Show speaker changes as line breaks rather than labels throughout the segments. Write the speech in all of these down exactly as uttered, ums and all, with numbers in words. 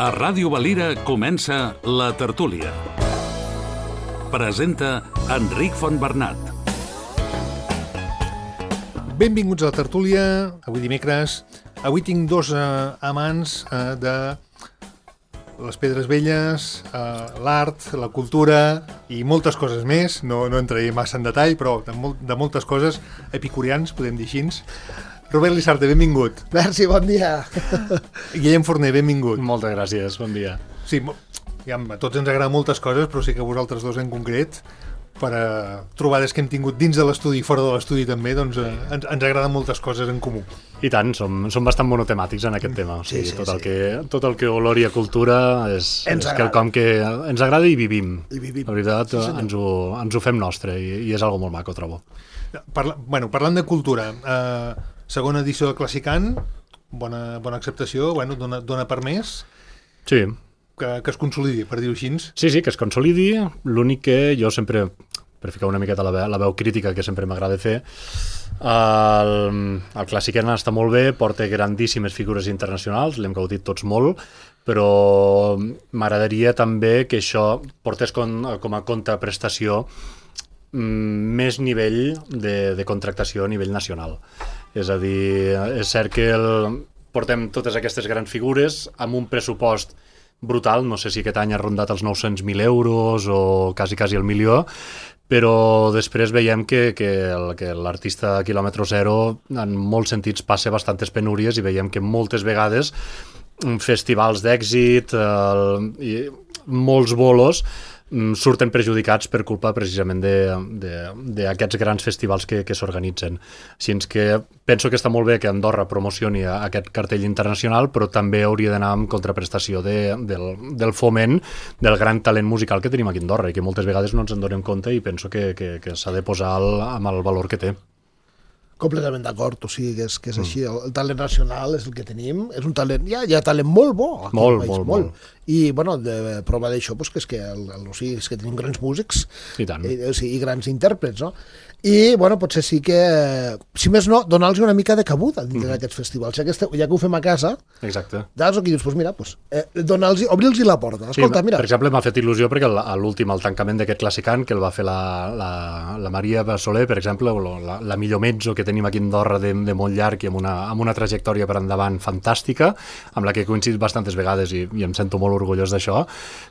A Ràdio Valira comença La Tertúlia. Presenta Enric Fontbernat.
Benvinguts a La Tertúlia, avui dimecres. Avui tinc dos eh, amants eh, de les pedres velles, eh, l'art, la cultura i moltes coses més. No, no entraré massa en detall, però de, molt, de moltes coses epicureans, podem dir així. Robert Lissarte, benvingut.
Merci, bon dia.
Guillem Forner, benvingut.
Moltes gràcies, bon dia.
Sí, ja, a tots ens agraden moltes coses, però sí que vosaltres dos en concret, per a trobades que hem tingut dins de l'estudi i fora de l'estudi també, doncs eh, ens, ens agraden moltes coses en comú.
I tant, som, som bastant monotemàtics en aquest tema. O sigui,
Sí, sí,
tot, el
sí.
que, tot el que olor i a cultura és,
Ens
és
agrada.
quelcom que ens agrada i vivim.
I vivim.
La veritat,
Sí, senyor.
ens, ho, ens ho fem nostre i, i és algo molt maco, trobo.
Parla, bueno, parlant de cultura, eh, segona edició de Classicant, bona, bona acceptació, bueno, dona, dona per més,
Sí,
que, que es consolidi, per dir-ho així.
sí, sí, que es consolidi. L'únic que jo sempre, per ficar una miqueta la veu, la veu crítica que sempre m'agrada fer, el, el Classicant està molt bé, porta grandíssimes figures internacionals, l'hem gaudit tots molt, però m'agradaria també que això portés com, com a contraprestació mm, més nivell de, de contractació a nivell nacional. És a dir, és cert que el, portem totes aquestes grans figures amb un pressupost brutal, no sé si aquest any ha rondat els nou-cents mil euros o quasi, quasi el milió, però després veiem que, que, el, que l'artista quilòmetre zero en molts sentits passa bastantes penúries i veiem que moltes vegades festivals d'èxit el, i molts bolos mm, surten perjudicats per culpa precisament d'aquests grans festivals que, que s'organitzen. Així que penso que està molt bé que Andorra promocioni aquest cartell internacional, però també hauria d'anar amb contraprestació de, del, del foment del gran talent musical que tenim aquí a Andorra i que moltes vegades no ens en donem compte i penso que, que, que s'ha de posar el, amb el valor que té.
Completament d'acord, o sigui que és, que és així, el, el talent nacional és el que tenim, és un talent, hi ha, hi ha talent molt bo aquí
Molt,
al país,
molt, molt.
I, bueno, de prova d'això, pues, que és que, el, el, o sigui, és que tenim grans músics
I tant.
i, o sigui, i grans intèrprets, no? I, bueno, potser sí que, si més no, donar-los una mica de cabuda dins d'aquests festivals, ja que, este, ja que ho fem a casa,
Exacte.
doncs aquí dius, pues mira, pues, eh, donar-los, obrir-los la porta, escolta,
sí,
mira.
Per exemple, m'ha fet il·lusió perquè el- a l'últim, el tancament d'aquest Classicant, que el va fer la, la, la Maria Soler, per exemple, o la, la millor mezzo que tenim aquí a Andorra de, de molt llarg i amb una, amb una trajectòria per endavant fantàstica, amb la que he coincidit bastantes vegades i, i em sento molt orgullós d'això,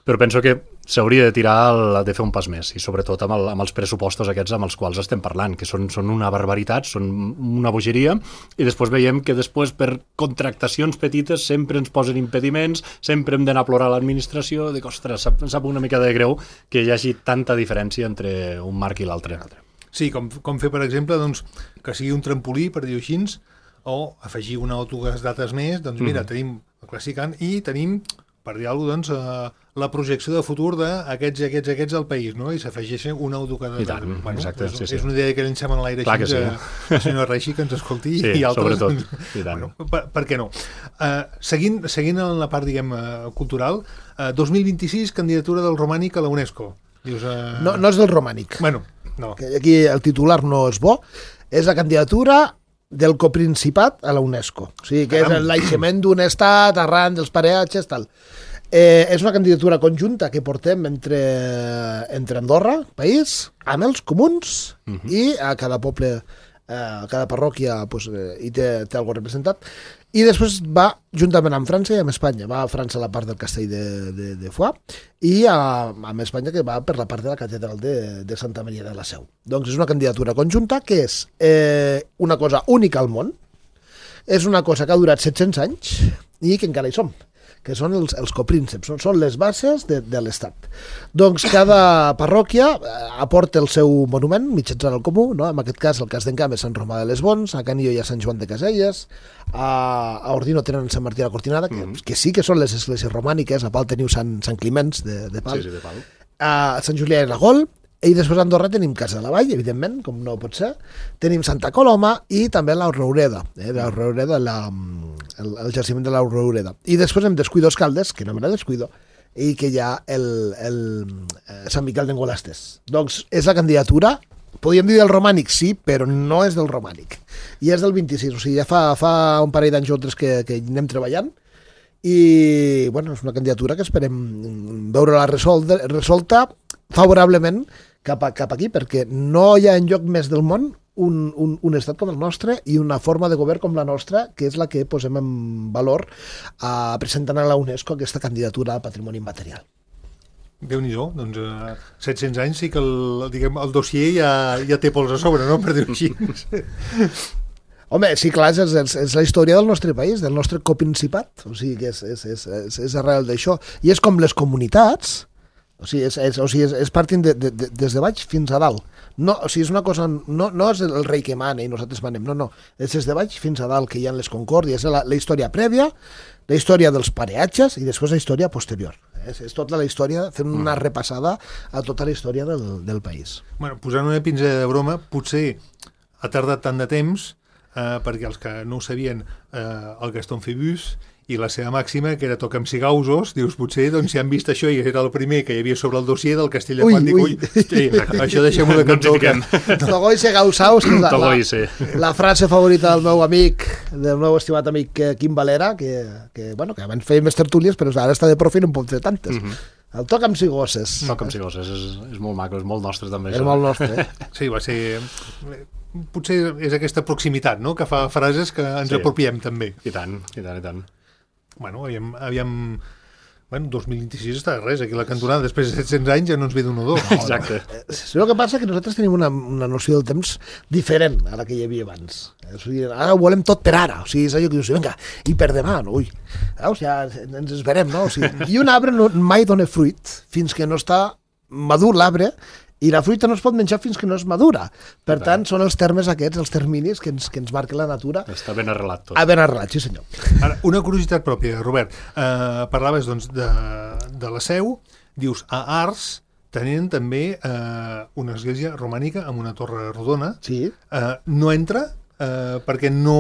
però penso que s'hauria de tirar, el, de fer un pas més, i sobretot amb, el, amb els pressupostos aquests amb els quals estem parlant, que són, són una barbaritat, són una bogeria, i després veiem que després per contractacions petites sempre ens posen impediments, sempre hem d'anar a plorar a l'administració, dic, ostres, sap, sap una mica de greu que hi hagi tanta diferència entre un marc i l'altre.
Sí, com, com fer, per exemple, doncs, que sigui un trampolí, per dir-ho així, o afegir una o dues dates més, doncs mira, mm. tenim el Classicant i tenim, per dir alguna cosa, doncs, eh, la projecció de futur d'aquests i aquests i aquests al país, no? I s'afegeixen una o dues dates.
I tant,
bueno,
exacte,
és,
sí, sí.
és una idea que llencem en l'aire
Clar
així,
que sí.
que el senyor Reixi que ens escolti
Sí,
i altres.
sobretot, i tant.
Bueno, per, per què no? Uh, seguint, seguint en la part, diguem, uh, cultural, uh, dos mil vint-i-sis, candidatura del romànic a la UNESCO. Dius, uh...
No, no és del romànic.
Bueno, no.
Que aquí el titular no és bo, és la candidatura del coprincipat a la UNESCO. O sigui, que
Caram.
és el naixement d'un estat arran dels pareatges, tal. Eh, és una candidatura conjunta que portem entre, entre Andorra, país, amb els comuns, uh-huh. i a cada poble, eh, a cada parròquia pues, eh, hi té, té algo representat. I després va juntament amb França i amb Espanya. Va a França la part del castell de, de, de Foix i a, amb Espanya que va per la part de la catedral de, de Santa Maria de la Seu. Doncs és una candidatura conjunta que és eh, una cosa única al món, és una cosa que ha durat set-cents anys i que encara hi som, que són els, els coprínceps, són, són les bases de, de l'Estat. Doncs cada parròquia eh, aporta el seu monument mitjançant el comú, no? En aquest cas el cas d'Encamp és Sant Romà de les Bons, a Canillo hi ha Sant Joan de Caselles, a, a Ordino tenen Sant Martí de la Cortinada, que, mm. que sí que són les esglésies romàniques, a Pal teniu Sant, Sant Climenç de, de Pal,
Sí, sí, de pal.
a Sant Julià i la Gol, i després a Andorra tenim Casa de la Vall, evidentment, com no pot ser, tenim Santa Coloma i també la Roureda, eh, la Roureda, la, el, el jaciment de la Roureda. I després hem Descuidos Caldes, que no me la descuido, i que hi ha el, el, el Sant Miquel d'Engolastes. Doncs és la candidatura, podríem dir del romànic, sí, però no és del romànic. I és del vint-i-sis, o sigui, ja fa, fa un parell d'anys o tres que, que anem treballant, i bueno, és una candidatura que esperem veure-la resolta, resolta favorablement cap, a, cap aquí, perquè no hi ha enlloc més del món un, un, un estat com el nostre i una forma de govern com la nostra, que és la que posem en valor a presentant a la UNESCO aquesta candidatura a patrimoni immaterial.
Déu-n'hi-do, doncs uh, set-cents anys sí que el, diguem, el dossier ja, ja té pols a sobre, no?, per dir-ho així.
Home, sí, clar, és, és, és la història del nostre país, del nostre coprincipat, o sigui que és, és, és, és, és arrel d'això. I és com les comunitats, o sigui, és, és, o sigui, és, és partint de, de, de, des de baix fins a dalt. No, o sigui, és una cosa, no, no és el rei que mana i nosaltres manem, no, no, és des de baix fins a dalt que hi ha les concòrdies, la, la història prèvia, la història dels pareatges i després la història posterior. És, és tota la història, fent una repassada a tota la història del, del país.
Bueno, posant una pinzella de broma, potser ha tardat tant de temps eh, perquè els que no ho sabien, eh, el Gaston Phébus i la seva màxima, que era toca'm si gausos, dius, potser, doncs, si han vist això i era el primer que hi havia sobre el dossier del Castell de Juan, dic, ui, ui, això deixem-ho de cantó.
Togoise gausaus, que és la,
Togoise.
la, la frase favorita del meu amic, del meu estimat amic Quim Valera, que, que, bueno, que abans feia més tertúlies, però ara està de profi i no en pot fer tantes. Mm -hmm. El toca'm si gosses.
Toca'm si gosses, és, és molt maco, és molt nostre també.
És
això.
molt nostre, eh?
Sí, va ser... Potser és aquesta proximitat, no?, que fa frases que ens
Sí.
apropiem també.
I tant, i tant, i tant.
Bueno, aviam... aviam... Bueno, dos mil vint-i-sis està res, aquí la cantonada, després de set-cents anys ja no ens ve d'un o dos.
Exacte.
Sí, el que passa és que nosaltres tenim una, una noció del temps diferent a la que hi havia abans. O sigui, ara ho volem tot per ara. O sigui, és allò que dius, vinga, i per demà, no? Ui, veus, ja ens esperem, no? O sigui, i un arbre no, mai dona fruit fins que no està madur l'arbre, i la fruita no es pot menjar fins que no és madura. Per
Clar.
tant, són els termes aquests, els terminis que ens, que ens marca la natura.
Està ben arrelat tot.
Ah, ben arrelat, sí senyor.
Ara, una curiositat pròpia, Robert. Eh, parlaves, doncs, de, de la Seu. Dius, a Ars tenien també eh, una església romànica amb una torre rodona.
Sí.
Eh, no entra eh, perquè no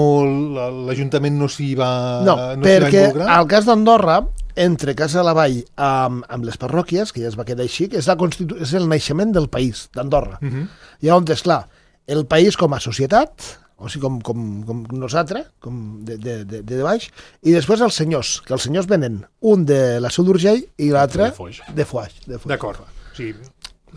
l'Ajuntament no s'hi va,
No,
no s'hi va
perquè
involucrar.
al cas d'Andorra, entre Casa de la Vall amb, amb les parròquies, que ja es va quedar així, que és, la constitu... és el naixement del país, d'Andorra.
Uh -huh.
I on és clar, el país com a societat, o sigui, com, com, com nosaltres, com de, de, de, de baix, i després els senyors, que els senyors venen un de la Seu d'Urgell i l'altre
De Foix.
de Foix. De Foix.
D'acord. O sigui,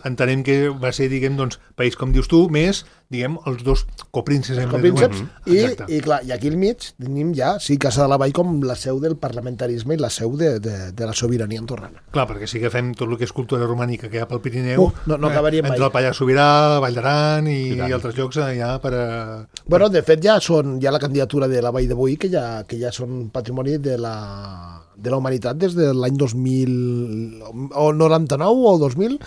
entenem que va ser, diguem, doncs, país, com dius tu, més, diguem, els dos coprínceps. hem de dir.
Copínceps, i,
Exacte.
i clar, i aquí al mig tenim ja, sí, Casa de la Vall com la seu del parlamentarisme i la seu de, de, de la sobirania andorrana.
Clar, perquè si agafem tot el que és cultura romànica que hi ha pel Pirineu,
Uh, no- no acabaríem mai.
entre el Pallars Sobirà, Vall d'Aran i,
I tant.
i altres llocs eh, ja per a...
Bueno, de fet, ja són ja la candidatura de la Vall de Boí, que ja, que ja són patrimoni de la, de la humanitat des de l'any dos mil o noranta-nou o dos mil,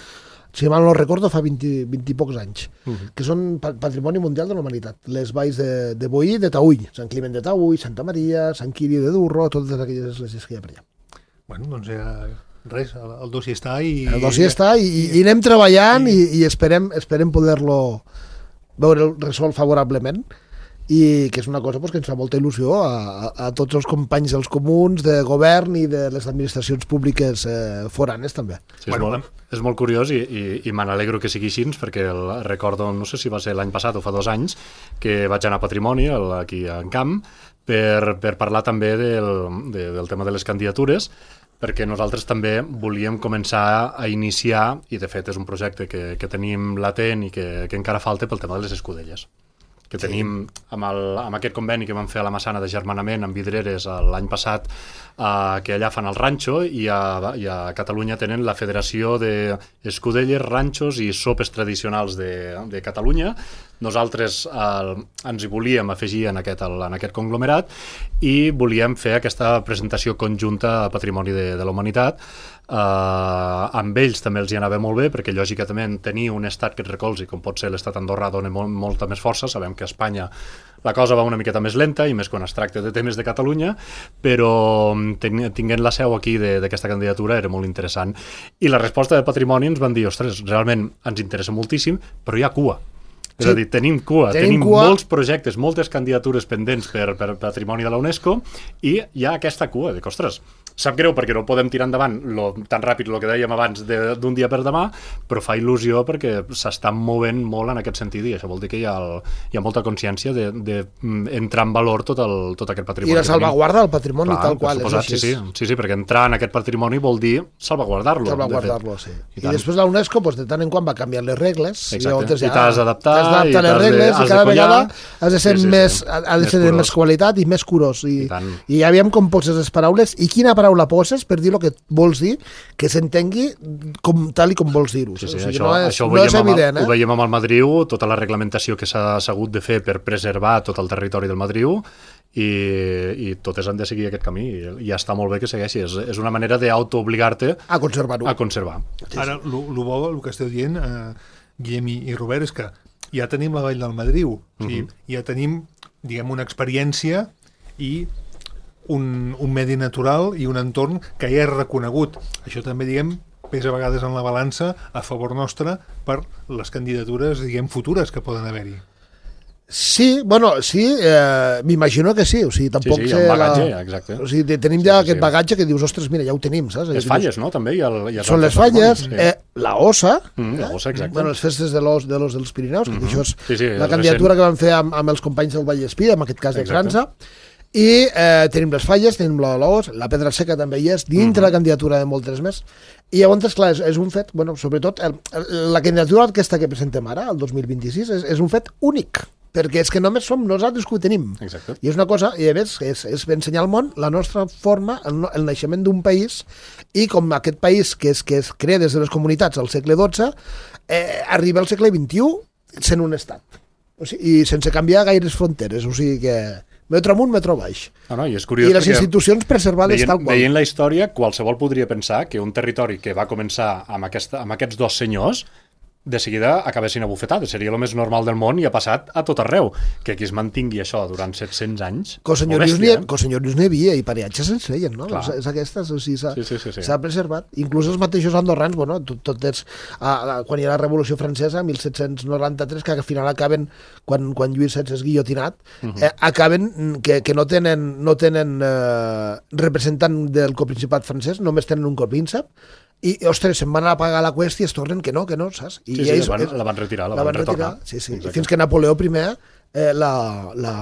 si mal no recordo, fa vint, vint i pocs anys, uh -huh. que són pa- patrimoni mundial de la humanitat. Les valls de, de Boí, de Taüll, Sant Climent de Taüll, Santa Maria, Sant Quiri de Durro, totes aquelles esglésies que hi ha per allà.
Bueno, doncs ja... Res, el, el dossier està i...
El dossier està i, i, i anem treballant i, i esperem, esperem poder-lo veure resolt favorablement, i que és una cosa pues, que ens fa molta il·lusió a, a, a tots els companys dels comuns, de govern i de les administracions públiques eh, foranes també.
Sí, és,
Bueno,
molt, és molt curiós i, i, i me n'alegro que sigui així, perquè el, recordo, no sé si va ser l'any passat o fa dos anys, que vaig anar a Patrimoni, el, aquí a Encamp, per, per parlar també del, de, del tema de les candidatures, perquè nosaltres també volíem començar a iniciar, i de fet és un projecte que, que tenim latent i que, que encara falta pel tema de les escudelles, que sí. tenim amb, el, amb aquest conveni que vam fer a la Massana de Germanament amb Vidreres l'any passat, eh, que allà fan el ranxo, i a, i a Catalunya tenen la Federació d'Escudelles, Ranxos i Sopes Tradicionals de, de Catalunya. Nosaltres eh, ens hi volíem afegir en aquest, en aquest conglomerat i volíem fer aquesta presentació conjunta a Patrimoni de, de la Humanitat. Uh, amb ells també els hi anava molt bé, perquè lògicament tenir un estat que et recolzi, com pot ser l'estat andorrà, dona molt, molta més força. Sabem que a Espanya la cosa va una miqueta més lenta, i més quan es tracta de temes de Catalunya, però ten, tinguent la seu aquí d'aquesta candidatura era molt interessant. I la resposta de Patrimoni ens van dir, ostres, realment ens interessa moltíssim, però hi ha cua. És
Sí.
a dir, tenim cua,
Tenim
tenim
cua.
molts projectes, moltes candidatures pendents per, per Patrimoni de la UNESCO, i hi ha aquesta cua, de que, ostres, sap greu perquè no podem tirar endavant lo, tan ràpid el que dèiem abans d'un dia per demà, però fa il·lusió perquè s'està movent molt en aquest sentit i això vol dir que hi ha, el, hi ha molta consciència d'entrar en valor tot, el, tot aquest patrimoni.
I la salvaguarda del patrimoni
Clar,
tal qual.
Suposat, sí, sí, sí, sí, perquè entrar en aquest patrimoni vol dir salvaguardar-lo.
Salvaguardar-lo, sí. I, I després la UNESCO pues, de tant en quan va canviar les regles.
Exacte. I, i t'has d'adaptar.
T'has d'adaptar les regles i cada vegada has de ser
sí, sí,
més,
sí.
ha de ser de més qualitat i més curós. I,
I,
i ja aviam com poses les paraules i quina paraula poses per dir el que vols dir, que s'entengui com, tal i com vols dir-ho.
Sí, sí,
o sigui,
això,
no és,
això ho,
no
veiem
és evident,
amb,
eh?
ho veiem amb el Madriu, tota la reglamentació que s'ha hagut de fer per preservar tot el territori del Madriu i, i totes han de seguir aquest camí i, i està molt bé que segueixi. És, és una manera d'autoobligar-te
a conservar-ho.
A conservar.
Sí, Ara, el bo, el que esteu dient, eh, Guillem i, i Robert, és que ja tenim la Vall del Madriu, o sigui, uh-huh. ja tenim, diguem, una experiència i un, un medi natural i un entorn que ja és reconegut. Això també, diguem, pesa a vegades en la balança a favor nostre per les candidatures, diguem, futures que poden haver-hi.
Sí, bueno, sí, eh, m'imagino que sí, o sigui, tampoc
sí, sí,
sé...
hi ha un bagatge,
la...
exacte.
O sigui, tenim ja sí, sí, aquest sí. bagatge que dius, ostres, mira, ja ho tenim, saps?
Les falles, no?, també. Hi ha, hi ha
Són les falles, sí. eh, la ossa,
mm, la ossa, exacte.
Bueno, les festes de l'os de l'os dels Pirineus, mm-hmm. que això és
sí, sí,
la candidatura recent. Que van fer amb, amb els companys del Vallespí, en aquest cas de França, i eh, tenim les falles, tenim l'os, la pedra seca també hi és, dintre mm-hmm. la candidatura de moltes més, i llavors, clar, és, és un fet, bueno, sobretot, el, el, la candidatura aquesta que presentem ara, el dos mil vint-i-sis, és, és un fet únic, perquè és que només som nosaltres que ho tenim.
Exacte.
I és una cosa, i a més, és, és ensenyar al món la nostra forma, el, el naixement d'un país, i com aquest país que es, que es crea des de les comunitats al segle dotze, eh, arriba al segle vint-i-u sent un estat. O sigui, i sense canviar gaires fronteres, o sigui que metro amunt, metro baix.
No, no, i, és curiós
I les institucions preservades
veient,
tal qual.
Veient la història, qualsevol podria pensar que un territori que va començar amb, aquesta, amb aquests dos senyors de seguida acabessin a bufetades. Seria el més normal del món i ha passat a tot arreu. Que aquí es mantingui això durant set-cents anys...
Que els senyorius n'hi havia i pareatges se'ns feien, no?
Clar.
És aquestes, o sigui, s'ha
sí, sí, sí, sí.
preservat. Inclús els mateixos andorrans, bueno, tot, tot és, a, a, quan hi ha la Revolució Francesa, mil set-cents noranta-tres, que al final acaben, quan, quan Lluís setze és guillotinat, uh-huh. eh, acaben que, que no tenen, no tenen eh, representant del coprincipat francès, només tenen un copríncep, i, ostres, se'n van a pagar la qüesta i es tornen que no, que no, saps? I
sí, sí, ells, la, van, la van retirar, la, la van, van retornar.
Sí, sí, i fins que Napoleó primer eh, la, la,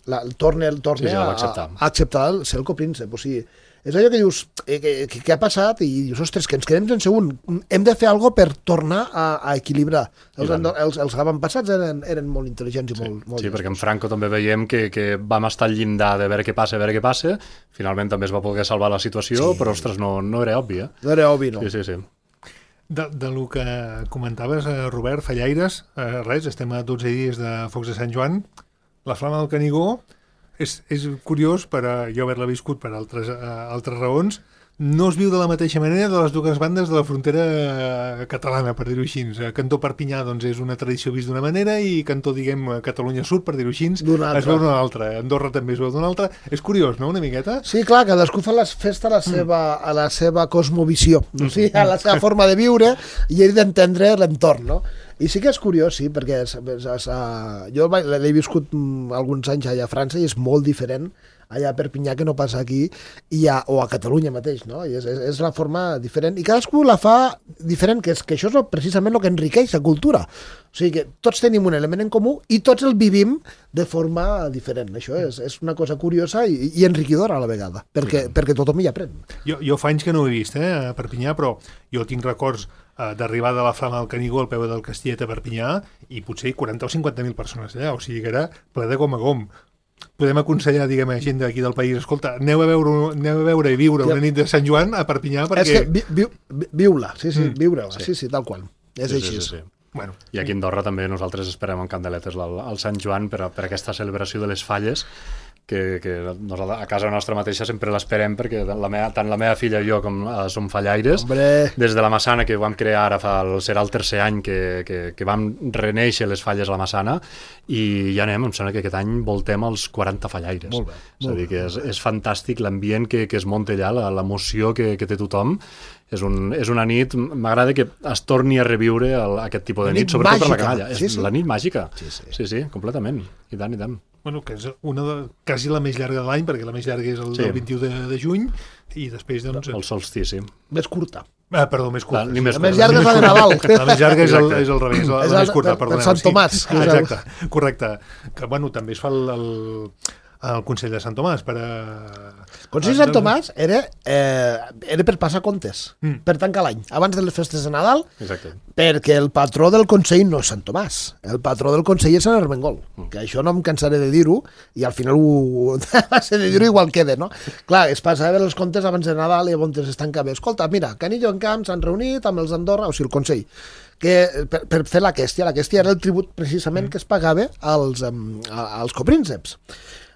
la, el torna, el torna
sí, sí,
a, a acceptar el, ser el copríncep. O sigui, és allò que dius, eh, que, que, que ha passat i dius, ostres, que ens quedem sense un. Hem de fer alguna cosa per tornar a, a equilibrar. Els, els, els avantpassats eren, eren molt intel·ligents i
sí,
molt... molt
sí, perquè en Franco també veiem que, que vam estar al llindar de veure què passa, veure què passa. Finalment també es va poder salvar la situació, sí. però, ostres, no, no era obvi, eh?
No era obvi, no.
Sí, sí, sí.
De, de lo que comentaves, eh, Robert, Fallaires, eh, res, estem a dotze dies de Focs de Sant Joan. La Flama del Canigó és, és curiós, per a, jo haver-la viscut per altres, uh, altres raons, no es viu de la mateixa manera de les dues bandes de la frontera catalana, per dir-ho així. Cantó Perpinyà doncs, és una tradició vist d'una manera i Cantó, diguem, Catalunya Sud, per dir-ho així, es veu d'una altra. Andorra també es veu d'una altra. És curiós, no?, una miqueta?
Sí, clar, cadascú fa les festa a la seva, mm. a la seva cosmovisió, no? O sigui, a la seva forma de viure i ell d'entendre l'entorn, no? I sí que és curiós, sí, perquè és, és, és, uh, jo l'he viscut mm, alguns anys allà a França i és molt diferent allà a Perpinyà que no passa aquí i a, o a Catalunya mateix, no? I és, és, és la forma diferent i cadascú la fa diferent, que, és, que això és precisament el que enriqueix la cultura. O sigui que tots tenim un element en comú i tots el vivim de forma diferent. Això és, és una cosa curiosa i, i enriquidora a la vegada, perquè, sí. perquè tothom hi aprèn.
Jo, jo fa anys que no ho he vist, eh, a Perpinyà, però jo tinc records eh, d'arribar de la Flama del Canigó al peu del Castillet a Perpinyà i potser quaranta o cinquanta mil persones allà, o sigui que era ple de gom a gom. Podem aconsellar, diguem, a gent d'aquí del país, escolta, aneu a veure, aneu a veure i viure una nit de Sant Joan a Perpinyà, perquè...
És que vi, vi, vi, viu-la, sí, sí, mm. viure-la, sí. sí, sí, tal qual. És
sí,
així.
Sí, sí, sí.
Bueno.
I aquí a Andorra també nosaltres esperem amb candeletes al, al Sant Joan per, a, per aquesta celebració de les falles, que, que nosaltres, a casa nostra mateixa sempre l'esperem perquè la meva, tant la meva filla i jo com uh, som fallaires.
Hombre.
Des de la Massana, que ho vam crear ara fa el, serà el tercer any que, que, que vam reneixer les falles a la Massana i ja anem, em sembla que aquest any voltem els quaranta fallaires.
Molt bé.
És a dir, que és, és fantàstic l'ambient que, que es munta allà, l'emoció que, que té tothom. És, un, és una nit, m'agrada que es torni a reviure el, aquest tipus de nit, nit sobretot màgica. Per la canalla. Sí, sí. És la nit màgica.
Sí, sí.
Sí, sí, completament. I tant, i tant.
bueno, que és una de, quasi la més llarga de l'any, perquè la més llarga és el
Sí.
del vint-i-u de, de juny, i després, doncs...
El solstici.
Més curta.
Ah, perdó, més curta.
Clar, ni més
La més
curta.
llarga és la de Nadal.
La més llarga és el,
Exacte.
és el revés, la,
És
la
el-
més curta,
per- per
perdoneu.
Sant Tomàs,
Sí.
que és
Ah,
el-
exacte, correcte. Que, bueno, també es fa el, el, el Consell de Sant Tomàs per a...
Consell de Sant Tomàs era, eh, era per passar comptes,
Mm.
per tancar l'any, abans de les festes de Nadal,
Exacte.
perquè el patró del Consell no és Sant Tomàs, el patró del Consell és Sant Ermengol, que això no em cansaré de dir-ho, i al final ho, va ser de dir-ho igual queda, no? Clar, es passava els comptes abans de Nadal i llavors es tancava. Escolta, mira, Canillo en Camp s'han reunit amb els d'Andorra, o sigui, el Consell, que, per, per fer la quèstia, la quèstia era el tribut precisament que es pagava als, um, als coprínceps.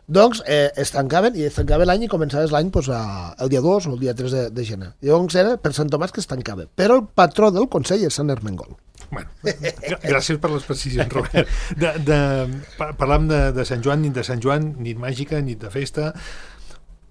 Doncs eh, es tancaven i es tancava l'any i començaves l'any pues, a, el dia dos o el dia tres de, de gener. Llavors era per Sant Tomàs que es tancava. Però el patró del Consell és Sant Ermengol.
Bueno, gra- gràcies per les precisions, Robert. De, de, pa- parlam de, de Sant Joan, nit de Sant Joan, nit màgica, nit de festa.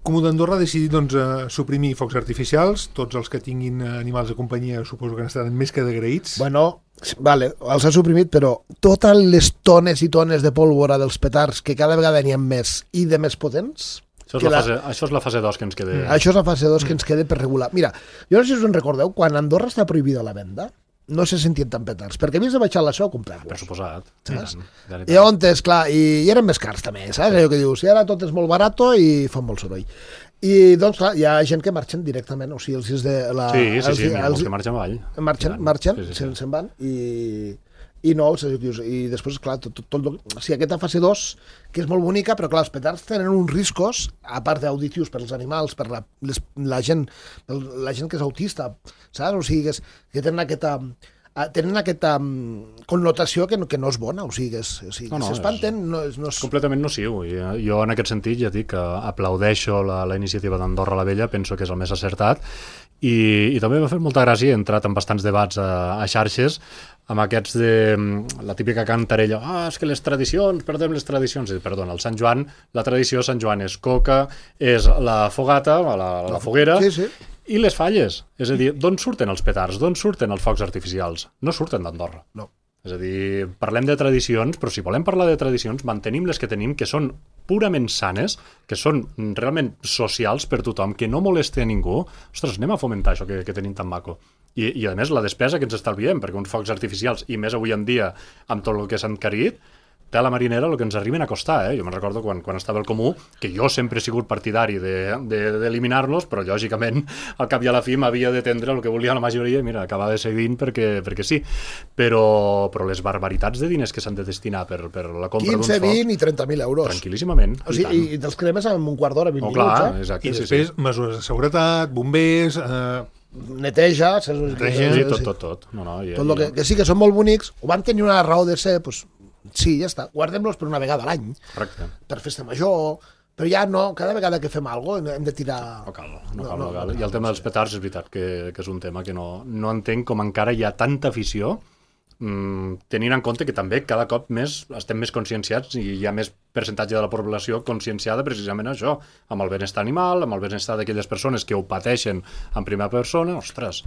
Comú d'Andorra ha decidit doncs, eh, suprimir focs artificials. Tots els que tinguin eh, animals de companyia suposo que n'estaran més que d'agraïts.
Bueno, vale, els ha suprimit, però totes les tones i tones de pólvora dels petards, que cada vegada n'hi ha més i de més potents,
Això és,
que
la
la-
fase, això és la fase dos que ens queda.
Mm.
això és la fase dos que ens queda per regular. Mira, jo no sé si us en recordeu, quan a Andorra està prohibida la venda, no se sentien tan petards, perquè havies de baixar la seu a
Per
comprar-los.
suposat.
Saps?
I tant, i tant.
I on és, clar, i, i eren més cars també, saps? Allò que dius, i ara tot és molt barato i fan molt soroll. I doncs, clar, hi ha gent que marxen directament, o sigui, els is de la...
Sí, sí,
els,
sí, n'hi ha
els,
molts que marxen avall.
marxen,
I tant.
marxen,
Sí, sí,
se'n
sí.
se'n van i, i no, els executius. I després, clar, tot, tot, tot, o sigui, aquesta fase dos, que és molt bonica, però clar, els petards tenen uns riscos, a part d'auditius per als animals, per la, les, la, gent, la gent que és autista, saps? O sigui, que, és, que tenen aquesta ah, tenen aquesta mm, connotació que no, que no és bona, o sigui, que és, o sigui,
No, no,
s'espanten, no, és, no és...
Completament nociu. I eh, jo en aquest sentit ja dic que aplaudeixo la, la iniciativa d'Andorra la Vella, penso que és el més acertat i, i també m'ha fet molta gràcia, he entrat en bastants debats a, a xarxes amb aquests de mm, la típica cantarella, ah, és que les tradicions, perdem les tradicions. I, perdona, el Sant Joan, la tradició de Sant Joan és coca, és la fogata, la, la foguera,
Sí, sí.
i les falles. És a dir, d'on surten els petards? D'on surten els focs artificials? No surten d'Andorra.
No.
És a dir, parlem de tradicions, però si volem parlar de tradicions, mantenim les que tenim, que són purament sanes, que són realment socials per tothom, que no moleste a ningú. Ostres, anem a fomentar això que, que tenim tan maco. I, I, a més, la despesa que ens estalviem, perquè uns focs artificials, i més avui en dia, amb tot el que s'ha encarit, té a la marinera el que ens arriben a costar. Eh? Jo me'n recordo quan, quan estava al Comú, que jo sempre he sigut partidari d'eliminar-los, de, de, però lògicament al cap i a la fi m'havia d'atendre el que volia la majoria i mira, acabava seguint perquè, perquè sí. Però, però les barbaritats de diners que s'han de destinar per, per la compra d'uns
quinze,
focs,
vint i trenta mil euros.
tranquil·líssimament.
O sigui, i, i te'ls cremes en un quart d'hora, vint
Oh,
minuts,
clar,
eh?
exacte,
I
sí,
després
sí.
mesures de seguretat, bombers... Eh,
Neteja, saps?
Neteja,
Sí,
Sí,
tot,
sí.
tot, tot. No, no, i,
Tot lo que, que sí que són molt bonics, ho van tenir una raó de ser, doncs, sí, ja està, guardem-los per una vegada a l'any,
Correcte.
per festa major, però ja no, cada vegada que fem alguna cosa hem de tirar...
No cal, no,
No,
cal,
no,
no, cal.
no,
I el tema dels petards és veritat que, que és un tema que no, no entenc com encara hi ha tanta afició, mm, tenint en compte que també cada cop més estem més conscienciats i hi ha més percentatge de la població conscienciada precisament això, amb el benestar animal, amb el benestar d'aquelles persones que ho pateixen en primera persona, ostres,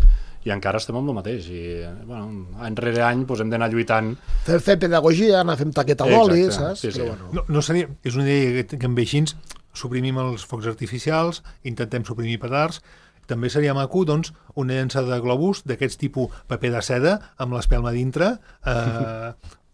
i encara estem amb el mateix. I, bueno, any rere any doncs, hem d'anar lluitant.
Fer, fer pedagogia, anar fent taqueta d'oli,
Exacte,
saps?
sí, sí.
Però bueno,
no, no seria, és una idea que, que em ve així, suprimim els focs artificials, intentem suprimir petards, també seria maco, doncs, una llançada de globus d'aquests tipus paper de seda amb l'espelma dintre, eh,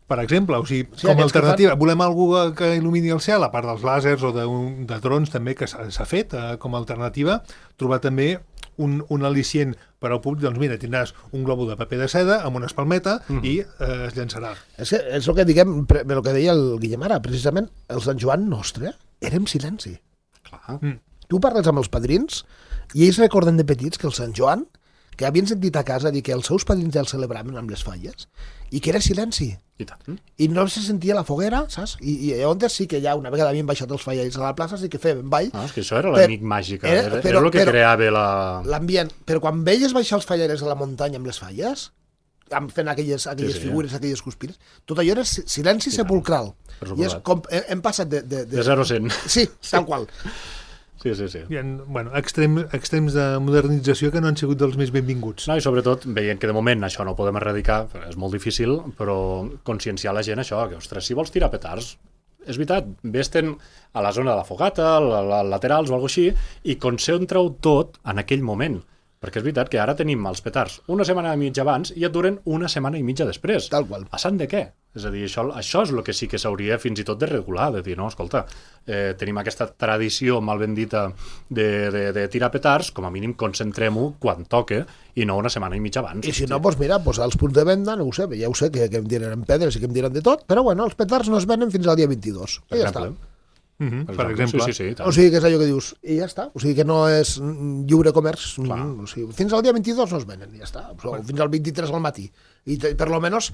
per exemple, o sigui,
Sí,
com a
aquests que
alternativa. Volem algú que il·lumini el cel, a part dels làsers o de, un, de drons també que s'ha s'ha fet eh, com a alternativa, trobar també un, un al·licient per al públic, doncs mira, tindràs un globo de paper de seda amb una espalmeta
Mhm.
i eh, es llançarà.
és, que, és el que diguem, pre- el que deia el Guillem ara, precisament, el Sant Joan nostre era en silenci.
Clar.
Tu parles amb els padrins i ells recorden de petits que el Sant Joan, que havien sentit a casa dir que els seus padrins ja el celebraven amb les falles i que era silenci.
I tant.
I no se sentia la foguera, saps? I, i on sí que ja una vegada havien baixat els falles a la plaça, sí que feien ball,
Ah, és que això era
Per-
l'amic màgica,
era-
era,
però-
era el que
però-
creava la...
l'ambient. Però quan veies baixar els falleres a la muntanya amb les falles, amb fent aquelles, aquelles
Sí, sí,
figures, aquelles cuspires, tot allò era si- silenci
I tant,
sepulcral.
per
I és
suposat.
com, hem, hem passat de... De,
De zero a cent.
Sí, tal qual.
Sí, sí, sí.
Hi ha, bueno, extrem, extrems de modernització que no han sigut dels més benvinguts.
No, i sobretot, veient que de moment això no ho podem erradicar, és molt difícil, però conscienciar la gent això, que, ostres, si vols tirar petards, és veritat, vés-te'n a la zona de la fogata, a la laterals o alguna cosa així, i concentra-ho tot en aquell moment. Perquè és veritat que ara tenim els petards una setmana i mitja abans i et duren una setmana i mitja després.
Tal qual.
Passant de què? És a dir, això, això és el que sí que s'hauria fins i tot de regular, de dir, no, escolta, eh, tenim aquesta tradició mal ben dita de, de, de tirar petards, com a mínim concentrem-ho quan toque i no una setmana i mitja abans.
I si no, doncs mira, doncs als punts de venda, no ho sé, ja ho sé, que, que em diran pedres i que em diran de tot, però bueno, els petards no es venen fins al dia vint-i-dos.
Per
I ja
exemple.
està.
Mm-hmm,
Per
per exemple.
Sí, sí, sí,
O sigui, que és allò que dius, i ja està. O sigui, que no és lliure comerç. O sigui, fins al dia vint-i-dos no es venen, i ja està. O fins al vint-i-tres al matí. I te, per lo menos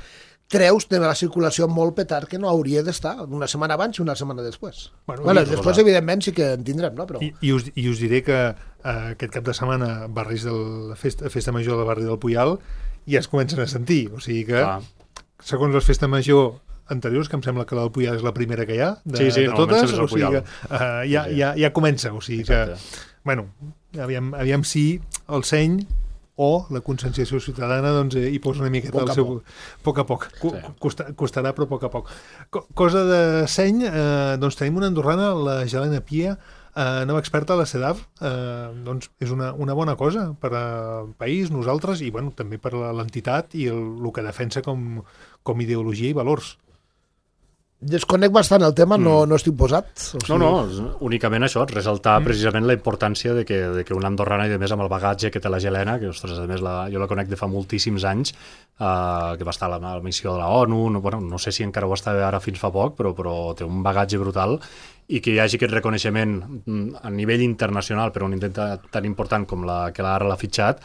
treus de la circulació molt petard que no hauria d'estar una setmana abans i una setmana després.
Bueno,
bueno,
i-
després, evidentment, sí que en tindrem, no? Però...
I, i, us, I us diré que eh, aquest cap de setmana barris de la festa, festa major del barri del Puyal ja es comencen a sentir. O sigui que,
Clar.
segons les festes major anteriors, que em sembla que la del Puyal és la primera que hi ha, de,
Sí, sí,
de
normalment
totes,
sempre és el
o sigui que
Puyal.
uh, ja,
Sí, sí.
ja, ja comença. O sigui
Exacte.
que, bueno, aviam, aviam si el seny o la conscienciació ciutadana doncs, eh, hi posa una miqueta
Poc
el
a
seu...
poc.
Poc a poc. Co
Sí.
costa, costarà, però a poc a poc. Co cosa de seny, eh, doncs tenim una andorrana, la Helena Pia, eh, nova experta a la CEDAV, eh, doncs és una, una bona cosa per al país, nosaltres, i bueno, també per a l'entitat i el, el que defensa com, com ideologia i valors.
Desconec bastant el tema, no, no estic posat. O sigui,
No, no, és únicament això, ressaltar mm. precisament la importància de que, de que una andorrana, i a més amb el bagatge que té la Helena, que ostres, a més la, jo la conec de fa moltíssims anys, eh, que va estar a la, a la missió de la ONU, no, bueno, no sé si encara ho està ara fins fa poc, però, però té un bagatge brutal, i que hi hagi aquest reconeixement mm, a nivell internacional per un intent tan important com la que ara l'ha fitxat,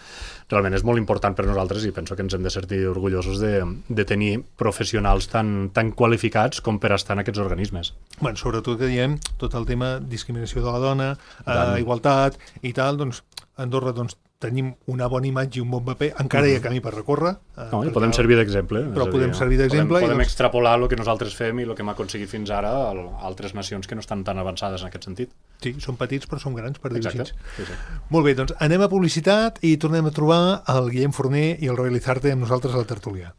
realment és molt important per nosaltres i penso que ens hem de sentir orgullosos de, de tenir professionals tan, tan qualificats com per estar en aquests organismes.
Bueno, sobretot que diem tot el tema discriminació de la dona,
Tant.
eh, igualtat i tal, doncs a Andorra doncs, tenim una bona imatge i un bon paper, encara hi ha camí per recórrer. Eh,
No, i
perquè
podem
el-
servir d'exemple.
Però
és a
podem
dir,
servir d'exemple i
Podem, podem
doncs-
extrapolar el que nosaltres fem i el que hem aconseguit fins ara a altres nacions que no estan tan avançades en aquest sentit.
Sí, som petits però som grans, per dir-ho
Exacte.
així.
Sí, sí.
Molt bé, doncs anem a publicitat i tornem a trobar el Guillem Forner i el Roy Lizarte amb nosaltres a la tertúlia.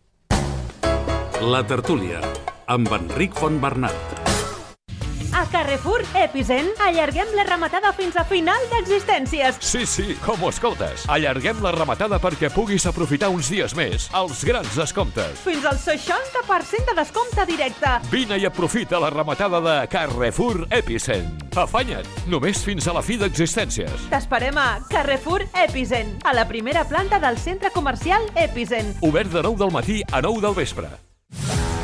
La tertúlia, amb Enric Fontbernat.
A Carrefour Epicent allarguem la rematada fins a final d'existències.
Sí, sí, com ho escoltes. Allarguem la rematada perquè puguis aprofitar uns dies més els grans descomptes.
Fins al seixanta per cent de descompte directe.
Vine i aprofita la rematada de Carrefour Epicent. Afanya't, només fins a la fi d'existències.
T'esperem a Carrefour Epicent, a la primera planta del centre comercial Epicent.
Obert de nou del matí a nou del vespre.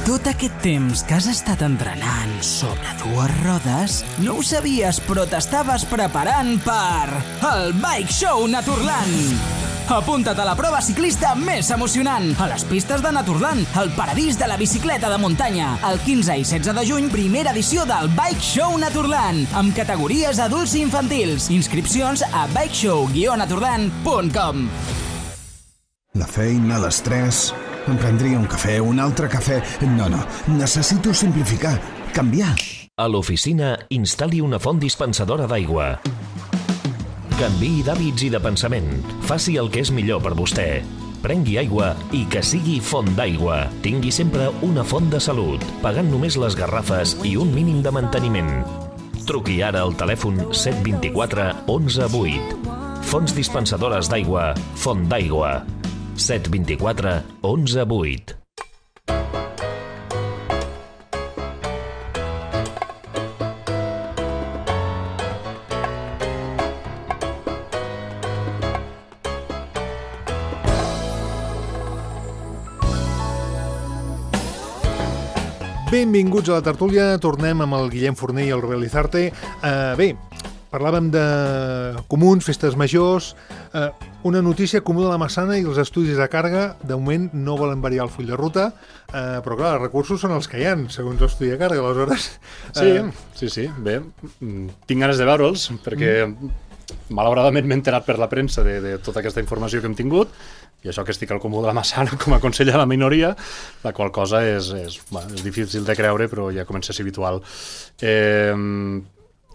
Tot aquest temps que has estat entrenant sobre dues rodes, no ho sabies, però t'estaves preparant per el Bike Show Naturland. Apunta't a la prova ciclista més emocionant, a les pistes de Naturland, el paradís de la bicicleta de muntanya. El quinze i setze de juny, primera edició del Bike Show Naturland, amb categories adults i infantils. Inscripcions a bikeshow guió naturland punt com.
La feina, l'estrès... Em prendria un cafè, un altre cafè... No, no, necessito simplificar, canviar.
A l'oficina, instal·li una font dispensadora d'aigua. Canviï d'hàbits i de pensament. Faci el que és millor per vostè. Prengui aigua i que sigui font d'aigua. Tingui sempre una font de salut, pagant només les garrafes i un mínim de manteniment. Truqui ara al telèfon set dos quatre onze vuit. Fonts dispensadores d'aigua, Font d'Aigua. set dos quatre onze vuit.
Benvinguts a la tertúlia, tornem amb el Guillem Forner i el Roy Lizarte. Uh, bé, parlàvem de comuns, festes majors, uh, una notícia comú de la Massana i els estudis de càrrega, de moment no volen variar el full de ruta, uh, però clar, els recursos són els que hi ha, segons l'estudi de càrrega, aleshores...
Sí,
uh,
sí, sí, bé, mm, tinc ganes de veure'ls, perquè malauradament m'he enterat per la premsa de, de tota aquesta informació que hem tingut, i això que estic al comú de la Massana com a conseller de la minoria, la qual cosa és, és, bueno, és difícil de creure, però ja comença a ser habitual. Eh,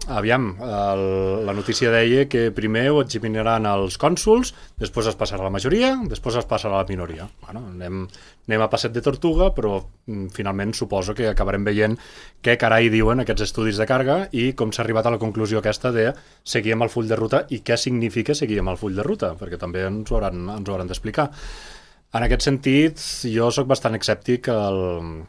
aviam, el, la notícia deia que primer ho examinaran els cònsols, després es passarà a la majoria, després es passarà a la minoria. Bueno, anem, anem a passet de tortuga, però mm, finalment suposo que acabarem veient què carai diuen aquests estudis de càrrega i com s'ha arribat a la conclusió aquesta de seguir amb el full de ruta i què significa seguir amb el full de ruta, perquè també ens ho hauran, ens ho hauran d'explicar. En aquest sentit, jo sóc bastant escèptic al...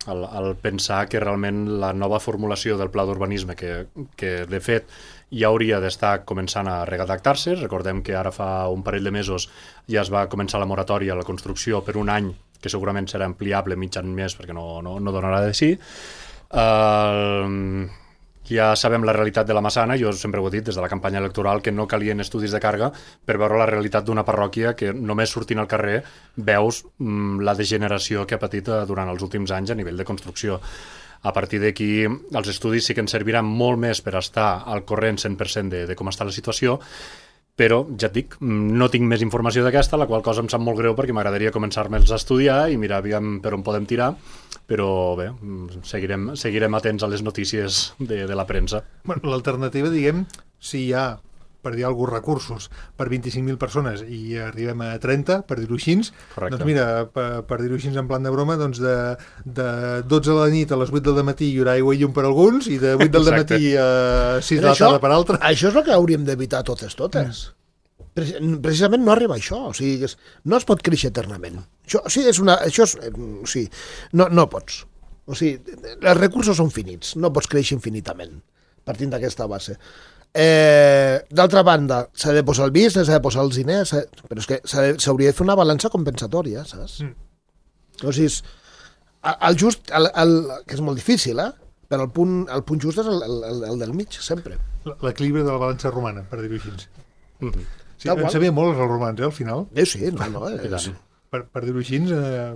El, el pensar que realment la nova formulació del pla d'urbanisme, que, que de fet ja hauria d'estar començant a redactar-se, recordem que ara fa un parell de mesos ja es va començar la moratòria a la construcció per un any, que segurament serà ampliable mig any més perquè no, no, no donarà de sí. Uh, ja sabem la realitat de la Massana, jo sempre ho he dit des de la campanya electoral, que no calien estudis de càrrega per veure la realitat d'una parròquia que només sortint al carrer veus mm, la degeneració que ha patit durant els últims anys a nivell de construcció. A partir d'aquí, els estudis sí que ens serviran molt més per estar al corrent cent per cent de, de com està la situació, però, ja et dic, no tinc més informació d'aquesta, la qual cosa em sap molt greu perquè m'agradaria començar-me'ls a estudiar i mirar aviam per on podem tirar, però bé, seguirem, seguirem atents a les notícies de, de la premsa.
Bueno, l'alternativa, diguem, si hi ha, per dir alguns recursos, per vint-i-cinc mil persones i arribem a trenta, per dir-ho així,
correcte.
Doncs mira, per, per dir-ho així en plan de broma, doncs de, de dotze de la nit a les vuit del matí hi haurà aigua i llum per alguns i de vuit del matí a sis de la tarda per altres.
Això és el que hauríem d'evitar totes, totes. Mm. Precisament no arriba a això, o sigui, no es pot créixer eternament. Això, o sigui, és una, això és, o sigui, no, no pots. O sigui, els recursos són finits, no pots créixer infinitament, partint d'aquesta base. Eh, d'altra banda, s'ha de posar el business, s'ha de posar els diners, però és que s'hauria de fer una balança compensatòria, saps? Mm. O sigui, el just, el, el, que és molt difícil, eh? Però el punt, el punt just és el, el, el del mig, sempre.
L'equilibri de la balança romana, per dir-ho així.
Mm-hmm.
Sí, en sabia molt els romans, eh, al final.
Eh, sí, no, no. Eh,
sí. Per, per dir-ho així, eh,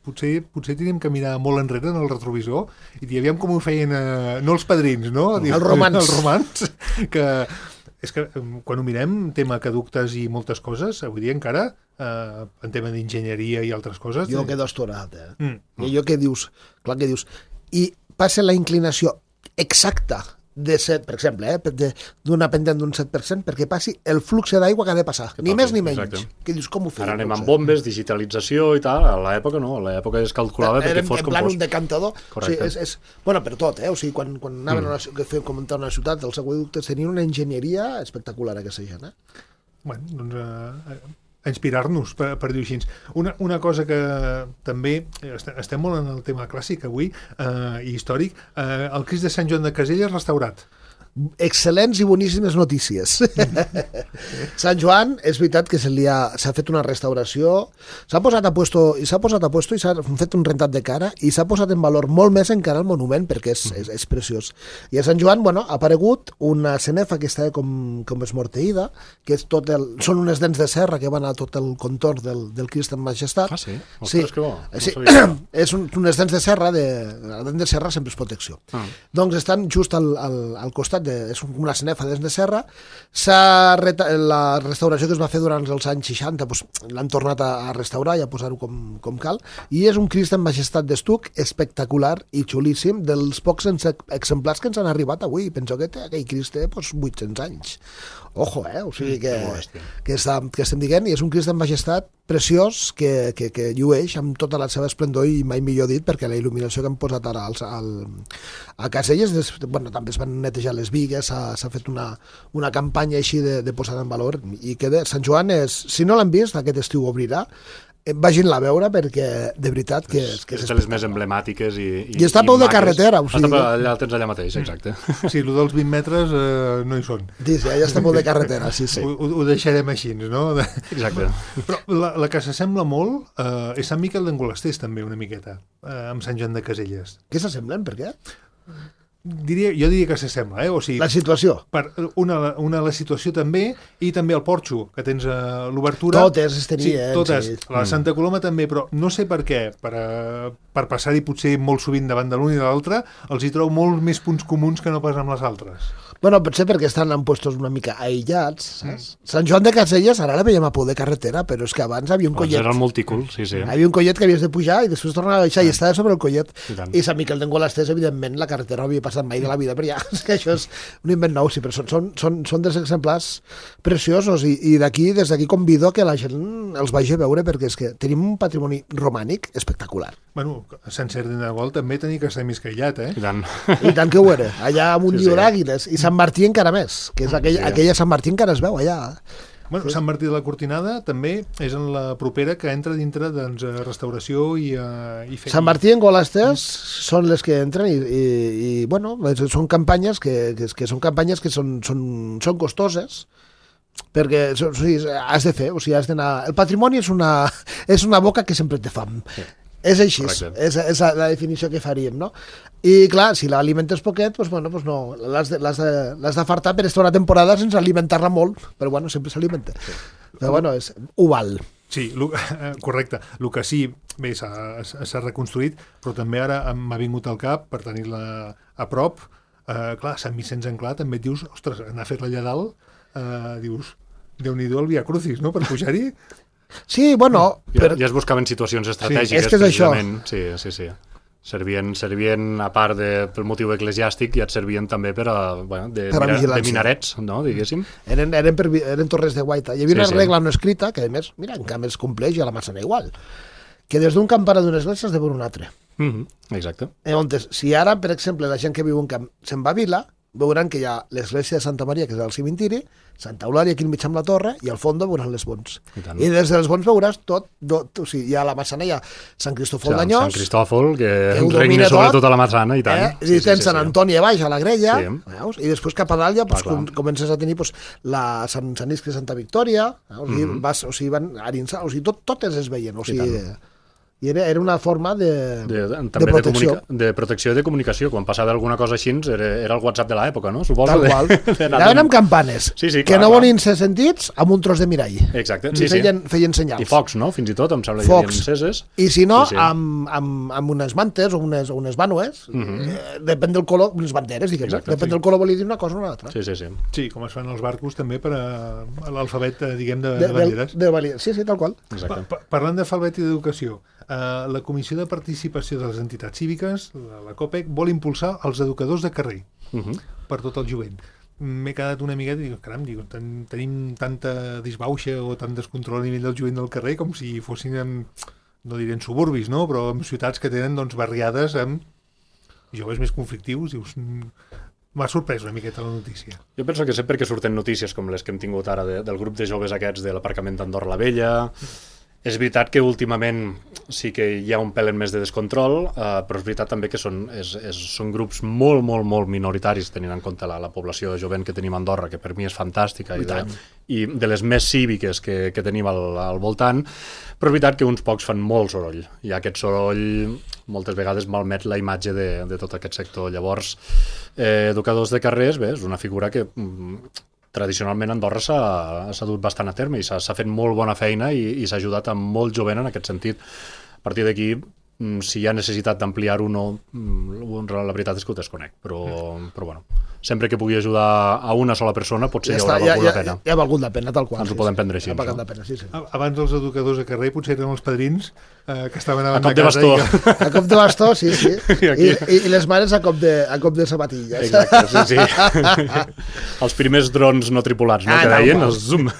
potser, potser tenim que mirar molt enrere en el retrovisor i dir, aviam com ho feien, eh, no els padrins, no?
Els romans.
Els romans, que és que quan ho mirem, tema aqueductes i moltes coses, avui dia encara, eh, en tema d'enginyeria i altres coses...
Jo quedo astorat, eh?
Mm.
I allò que dius, clar que dius, i passa la inclinació exacta de set, per exemple, eh, d'una pendent d'un set per cent, perquè passi el flux d'aigua que ha de passar, que ni passi, més ni menys. Exacte. Que dius, com ho feien?
Ara anem amb bombes, digitalització i tal, a l'època no, a l'època es calculava perquè fos com fos.
En plan un decantador. O sigui, és, és, bueno, per tot, eh? O sigui, quan, quan anaven mm. a una, que comentar una ciutat, els aqüeductes tenien una enginyeria espectacular aquesta gent, eh?
Bueno, doncs... Eh, a inspirar-nos, per, per dir-ho així. Una, una cosa que també estem molt en el tema clàssic avui eh, i històric, eh, el Crist de Sant Joan de Caselles restaurat.
Excel·lents i boníssimes notícies. Sant Joan, és veritat que s'ha fet una restauració, s'ha posat a puesto i s'ha posat a puesto i s'ha fet un rentat de cara i s'ha posat en valor molt més encara el monument perquè és, és, és preciós. I a Sant Joan, bueno, ha aparegut una cenefa que està com, com esmorteïda, que és tot el, són unes dents de serra que van a tot el contorn del, del Crist en Majestat.
Ah, sí? Ostres, sí. Que bo. No
sí. És un, unes dents de serra, de, la dent de serra sempre és protecció. Ah. Doncs estan just al, al, al costat de, és una cenefa des de serra. Reta, la restauració que es va fer durant els anys seixanta doncs, l'han tornat a, a restaurar i a posar-ho com, com cal, i és un Crist en Majestat d'estuc espectacular i xulíssim, dels pocs exemplars que ens han arribat avui. Penso que té, aquell Crist té doncs, vuit-cents anys. Ojo, eh? O sigui que, que, està, que estem dient, i és un Crist en Majestat preciós que, que, que llueix amb tota la seva esplendor i mai millor dit, perquè la il·luminació que han posat ara al, al, a Caselles, des, bueno, també es van netejar les bigues, s'ha fet una, una campanya així de, de posar en valor, i que de, Sant Joan és, si no l'han vist, aquest estiu obrirà, vagin-la a veure perquè de veritat que és, que
és, és de les més emblemàtiques i, i,
i està a peu de carretera, o sigui,
allà el tens allà mateix, exacte.
Sí, el dels vint metres eh, no hi són.
Sí, sí, allà està a peu de carretera, sí, sí.
Ho, ho deixarem així, no?
Exacte.
Però la, la que s'assembla molt eh, és Sant Miquel d'Engolasters també una miqueta, eh, amb Sant Joan de Caselles.
Què s'assemblen? Per què?
Diria, jo diria que s'assembla, eh? O sigui,
la situació.
Per una, una la situació també, i també el porxo, que tens uh, l'obertura.
Totes es tenien.
Sí, totes.
Sí.
La Santa Coloma també, però no sé per què, per, uh, per passar-hi potser molt sovint davant de l'un i de l'altre, els hi trobo molt més punts comuns que no pas amb les altres.
Bueno, potser perquè estan en puestos una mica aïllats, saps? Mm. Sant Joan de Caselles ara la veiem a por de carretera, però és que abans havia un collet.
Era el multicul, sí, sí.
Havia un collet que havies de pujar i després tornar a baixar, i estava sobre el collet.
I tant.
I Sant Miquel d'Engolasters, evidentment, la carretera no havia passat mai de la vida per allà. És que això és un invent nou, sí, però són, són, són, són dels exemplars preciosos, i, i d'aquí, des d'aquí convido que la gent els vagi a veure, perquè és que tenim un patrimoni romànic espectacular.
Bueno, a Sant Cerdi de Gol també tenia que estar més caillat, eh?
I tant.
I tant que ho era, allà amb un
Sí,
llió
sí.
d'àguiles, i Sant Martí encara més, que és aquell,
Sí.
aquella Sant Martí encara es veu allà.
Bueno, Sant Martí de la Cortinada també és en la propera que entra dintre doncs, restauració i, uh, i
Sant Martí en Golasters són les que entren i, i, i bueno, són campanyes que, que, que són campanyes que són, són, són costoses, perquè o sigui, has de fer, o sigui, has d'anar... El patrimoni és una, és una boca que sempre té fam. Sí. És així, és, és la definició que faríem, no? I clar, si l'alimentes poquet, doncs, bueno, doncs no, l'has de, l'has de, l'has d'afartar per estar una temporada sense alimentar-la molt, però bueno, sempre s'alimenta. Sí. Però bueno, és, ho val.
Sí, lo, correcte. El que sí, bé, s'ha reconstruït, però també ara m'ha vingut al cap, per tenir-la a prop, eh, clar, Sant Vicenç en Clar, també et dius, ostres, anar a fer-la allà dalt, eh, dius, Déu-n'hi-do el Via Crucis, no?, per pujar-hi.
Sí, bueno...
Ja, per... ja es buscaven situacions estratègiques.
Sí, és que és això.
Sí, sí, sí. Servien, servien, a part de, pel motiu eclesiàstic, ja et servien també per a, bueno, de,
per a
mira, de minarets, no, diguéssim.
Eren, eren, per, eren torres de guaita. Hi havia
Sí,
una
sí.
regla no escrita, que a més, mira, en canvi es compleix i a la Massana igual, que des d'un campanar d'una església has de veure un altre.
Mm -hmm, exacte.
Llavors, si ara, per exemple, la gent que viu en camp se'n va a Vila, veuran que hi ha l'església de Santa Maria, que és el cimentiri, Santa Eulària aquí al mig amb la torre, i al fons veuran les Bons. I, I des dels Bons veuràs tot, tot, o sigui, hi ha la Massana, hi ha Sant Cristòfol
o sigui,
d'Anyós,
Sant Cristòfol, que,
que
regna sobre tota la Massana, i tant.
Eh? I sí, tens sí, Sant sí, Antoni a baix, a la Grella,
sí.
veus? I després cap a dalt ja pues,
clar,
com, comences a tenir pues, la Sant, Sant Iscle Santa Victòria, eh? O sigui, mm -hmm. vas, o sigui, van a Arinsà, o sigui, tot, totes es veien, o sigui... I era, era una forma de,
de, de,
de protecció.
De, comunica, de protecció i de comunicació. Quan passava alguna cosa així, era, era el WhatsApp de l'època, no? Suposo.
Tal qual. Anaven amb campanes,
sí, sí,
que
clar,
no
clar.
volien ser sentits amb un tros de mirall.
Exacte,
I
sí,
feien,
sí.
feien senyals.
I focs, no? Fins i tot, em sembla que
focs.
hi havia enceses.
I si no,
sí, sí.
Amb, amb, amb unes mantes o unes, o unes vànues, mm -hmm. eh, depèn del color, unes banderes, diguem, Exacte, depèn sí. del color volia dir una cosa o una altra.
Sí, sí, sí.
Sí, com es fan els barcos també per a, a l'alfabet, diguem, de,
de,
de banderes.
De, de, sí, sí, tal qual.
Pa, pa, parlant d'alfabet i d'educació, Uh, la Comissió de Participació de les Entitats Cíviques, la, la COPEC, vol impulsar els educadors de carrer uh -huh. per tot el jovent. M'he quedat una miqueta i dic, caram, dic, ten, tenim tanta disbauxa o tant descontrol a nivell del jovent del carrer com si fossin en, no diré en suburbis, no? Però en ciutats que tenen doncs, barriades amb joves més conflictius. Dius, m'ha sorprès una miqueta la notícia.
Jo penso que sempre que surten notícies com les que hem tingut ara de, del grup de joves aquests de l'aparcament d'Andorra la Vella... És veritat que últimament sí que hi ha un pèl més de descontrol, eh, però és veritat també que són, és, és, són grups molt, molt, molt minoritaris, tenint en compte la, la població jovent que tenim a Andorra, que per mi és fantàstica, i, i, de, i de les més cíviques que, que tenim al, al voltant, però és veritat que uns pocs fan molt soroll, i aquest soroll moltes vegades malmet la imatge de, de tot aquest sector. Llavors, eh, educadors de carrers, bé, és una figura que... Mm, tradicionalment Andorra s'ha dut bastant a terme i s'ha fet molt bona feina i, i s'ha ajudat a molt jovent en aquest sentit. A partir d'aquí, si hi ha necessitat d'ampliar-ho o no, la veritat és que ho desconec, però, però bueno, sempre que pugui ajudar a una sola persona potser ja hi haurà
està,
valgut
ja,
la pena.
Ja ha valgut la pena, tal qual.
Ens
sí,
ho podem
sí.
prendre així.
Ha valgut la pena, sí, sí.
Abans els educadors de carrer potser eren els padrins eh, que estaven
a
abans
cop de
casa.
bastó.
Que...
A cop de bastó, sí, sí.
I, aquí...
I, i les mares a cop de, a cop de sabatilles.
Exacte, sí, sí. Els primers drons no tripulats, no?
Ah,
que deien,
no,
els zoom.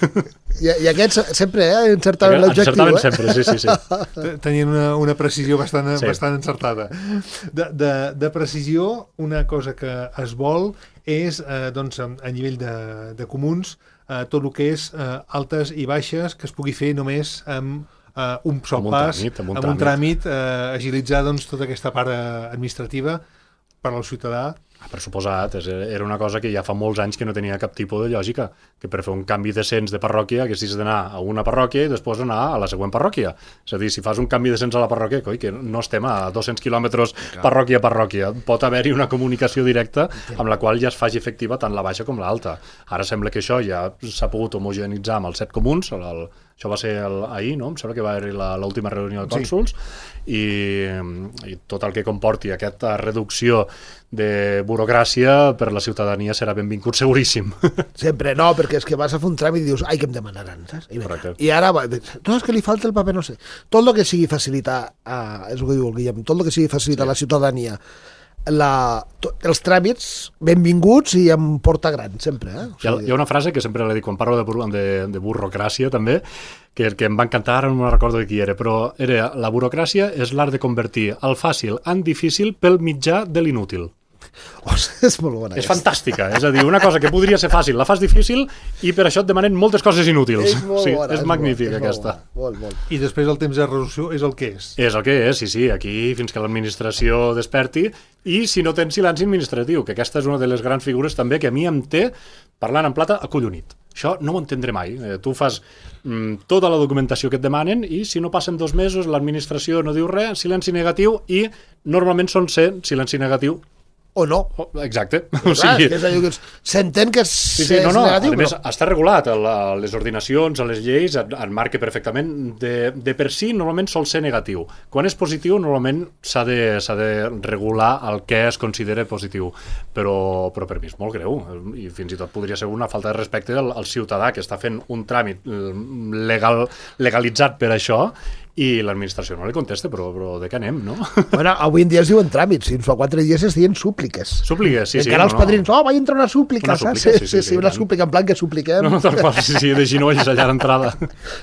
I, i aquests sempre eh, encertaven l'objectiu.
Encertaven
eh?
sempre, sí, sí, sí.
Tenien una, una precisió bastant,
sí.
bastant encertada. De, de, de precisió, una cosa que es vol és, eh, doncs, a nivell de, de comuns, eh, tot el que és eh, altes i baixes que es pugui fer només amb eh, un sol
amb un
pas,
tràmit, amb un
amb un tràmit, eh, agilitzar doncs, tota aquesta part eh, administrativa per al ciutadà.
Per suposat, era una cosa que ja fa molts anys que no tenia cap tipus de lògica, que per fer un canvi de cens de parròquia haguessis d'anar a una parròquia i després anar a la següent parròquia. És a dir, si fas un canvi de cens a la parròquia, coi, que no estem a dos-cents quilòmetres parròquia a parròquia, pot haver-hi una comunicació directa amb la qual ja es faci efectiva tant la baixa com l'alta. Ara sembla que això ja s'ha pogut homogenitzar amb els set comuns, el, el, això va ser el, ahir, no? Em sembla que va haver-hi l'última reunió de cònsols, sí. i, i tot el que comporti aquesta reducció de burocràcia per la ciutadania serà benvingut seguríssim.
Sempre, no, perquè és que vas a fer un tràmit i dius, ai, que em demanaran, saps? I,
Correcte.
I ara, no, és que li falta el paper, no sé. Tot el que sigui facilitar, uh, és el que diu el Guillem, tot el que sigui facilitar sí. la ciutadania, la, to, els tràmits, benvinguts i amb porta gran, sempre. Eh? O sigui,
hi, ha, hi ha una frase que sempre la dic quan parlo de, bur de, de burocràcia, també, que, que em va encantar, ara no me'n recordo de qui era, però era, la burocràcia és l'art de convertir el fàcil en difícil pel mitjà de l'inútil.
Ostres, és molt bona.
És fantàstica, és a dir, una cosa que podria ser fàcil, la fas difícil i per això et demanen moltes coses inútils.
És molt
sí,
bona.
És,
és
magnífica,
molt,
aquesta.
Molt, molt.
I després el temps de resolució és el que és.
És el que és, sí, sí, aquí fins que l'administració desperti, i si no tens silenci administratiu, que aquesta és una de les grans figures també que a mi em té, parlant en plata, acollonit. Això no ho entendré mai. Eh, tu fas mm, tota la documentació que et demanen i si no passen dos mesos l'administració no diu res, silenci negatiu, i normalment són ser silenci negatiu
o no.
Oh, exacte.
O sigui, s'entén que és,
sí, sí, no, no.
és negatiu,
a més,
però...
està regulat a, la, a les ordinacions, a les lleis, en marca perfectament. De, de per si, normalment sol ser negatiu. Quan és positiu, normalment s'ha de, s'ha de regular el que es considera positiu. Però, però per mi és molt greu. I fins i tot podria ser una falta de respecte al, al ciutadà que està fent un tràmit legal, legalitzat per això, i l'administració no li contesta, però, però de què anem, no?
Bueno, avui en dia es diuen tràmits, fins fa quatre dies es diuen súpliques.
Súpliques, sí,
I
sí.
encara
no,
els padrins,
no.
oh, vaig entrar una súplica,
una
saps?
súplica,
Sí, sí, sí, sí,
sí,
una
sí,
súplica, en plan que supliquem.
No, tal qual, sí, sí, de ginolls allà a l'entrada.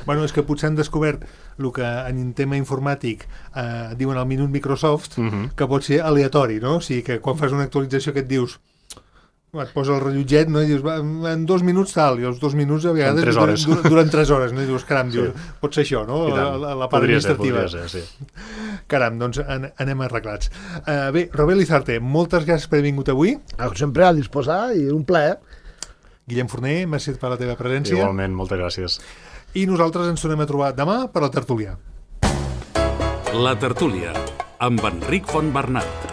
Bueno, és que potser han descobert el que en tema informàtic eh, diuen al minut Microsoft, uh -huh. que pot ser aleatori, no? O sigui, que quan fas una actualització que et dius et posa el rellotget, no? I dius, va, en dos minuts tal, i els dos minuts a vegades
tres hores.
Duren, duren tres hores, no? I dius, caram, sí. dius, pot ser això, no? La, la, la part
podria
administrativa.
Ser, podria ser, sí.
Caram, doncs an anem arreglats. Uh, bé, Robert Lizarte, moltes gràcies per haver vingut avui.
Sempre a disposar i un plaer.
Guillem Forner, merci per la teva presència.
Igualment, moltes gràcies.
I nosaltres ens tornem a trobar demà per la tertúlia.
La tertúlia, amb Enric Fontbernat.